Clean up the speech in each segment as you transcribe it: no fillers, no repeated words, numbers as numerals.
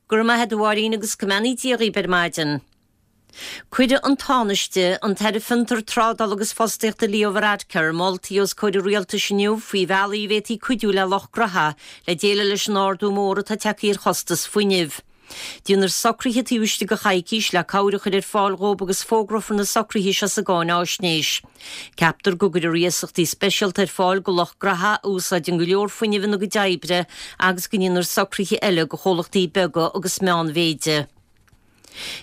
Go raibh maith a't a Mháirín agus go mbeannaí Dia dhaoib ar maidin. Cuirfidh an Tánaiste, an tAire Fiontar, Trádála agus Fostaíochta Leo Varadkar moltaí os comhair an Rialtais inniu faoi bhealaí a bhféadfaí cuidiú le lucht graithe le déileáil leis an ardú mór atá tagtha ar chostas fuinnimh. Déanfar socruithe taobh istigh de choicís le cabhair a chur ar fáil dhóibh agus fógrófar na socruithe seo sa gcáináisnéis. Ceaptar go gcuirfear iasachtaí speisialta ar fáil go lucht graithe a úsáideann go leor fuinnimh ina gcuid oibre agus go ndéanfar socruithe eile go chomhlachtaí beaga agus meánmhéide.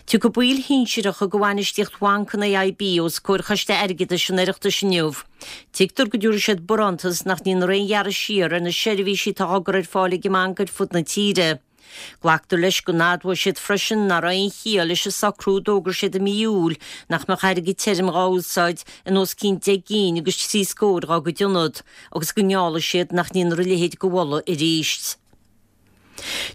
Tiocfaidh baill shinsearacha de bhainistíocht bhanc an AIB os comhair Choiste Airgeadais an Oireachtais inniu. Tuigtear go dtabharfaidh siad barántas nach ndéanfar aon ghearradh siar ar na seirbhísí atá á gcur ar fáil ag an mbanc ar fud na tíre. Glactar leis go n-admhóidh siad freisin nach raibh aon chiall leis an socrú a d'fhógair siad i mí Iúil nach mbeadh airgead tirim dhá úsáid in os cionn 10 gcinn agus 3 scór dhá gcuid ionad agus go ngeallfaidh siad nach ndéanfar a leithéid de mholadh arís.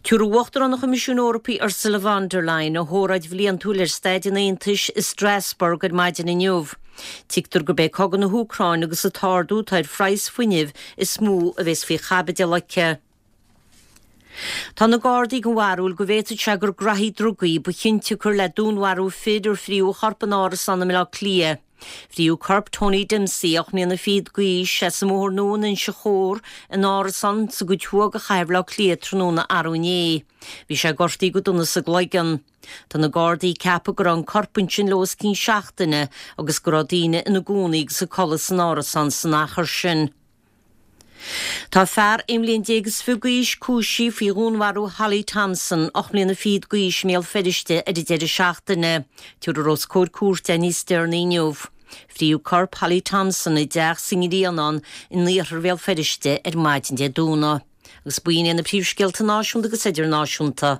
Tabharfaidh Uachtarán an Choimisiúin Eorpaigh Ursula von der Leyen a hóráid bhliantúil ar staid an Aontais i Strasbourg ar maidin inniu. Tuigtear gurb é cogadh na hÚcráine agus an t-ardú atá ar phraghas fuinnimh is mó a bheas faoi chaibidil aici. Tá na Gardaí den bharúil go bhféadfadh sé gur graithí drugaí ba chionsiocair le dúnmharú fir ar fríodh a chorp in árasán i mBaile Átha Cliath. Fríodh corp Tony Dempsey, 8 mbliana fichead d'aois, as an mBóthar Nua in Inse Chór, in árasán sa gcuid thuaidh de chathair Bhaile Átha Cliath tráthnóna arú inné. Bhí sé gortaithe go dona sa gcloigeann. Tá na Gardaí ag ceapadh go raibh an corp ansin le os cionn seachtaine agus go raibh daoine ina gcónaí agus ag codladh san árasán san achar sin. Tá fear 21 mbliain d'aois cúisithe faoi dhúnmharú Holly Thompson, 8 mbliana fichead d'aois i mBéal Feirste ar an deireadh seachtaine. Tabharfar os comhair cúirte é níos deireanaí inniu. Fríodh corp Holly Thompson i dteach sa nGrianán in iarthar Bhéal Feirste ar maidin Dé Domhnaigh. Agus b'in iad na príomhscéalta náisiúnta agus idirnáisiúnta.